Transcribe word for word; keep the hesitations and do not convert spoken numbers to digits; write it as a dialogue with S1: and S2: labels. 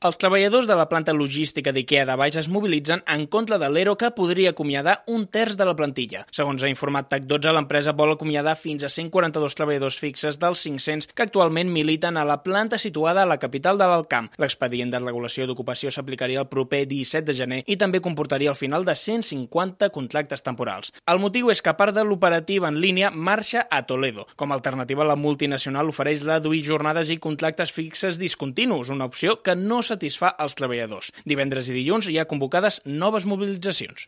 S1: Els treballadors de la planta logística d'IKEA de Valls es mobilitzen en contra de l'E R O que podria acomiadar un terç de la plantilla. Segons ha informat TAC dotze, l'empresa vol acomiadar fins a cent quaranta-dos treballadors fixes dels cinc-cents que actualment militen a la planta situada a la capital de l'Alt Camp. L'expedient de regulació d'ocupació s'aplicaria el proper disset de gener i també comportaria el final de cent cinquanta contractes temporals. El motiu és que part de l'operativa en línia marxa a Toledo. Com a alternativa, la multinacional ofereix reduir jornades i contractes fixes discontinus, una opció que no satisfà els treballadors. Divendres i dilluns hi ha convocades noves mobilitzacions.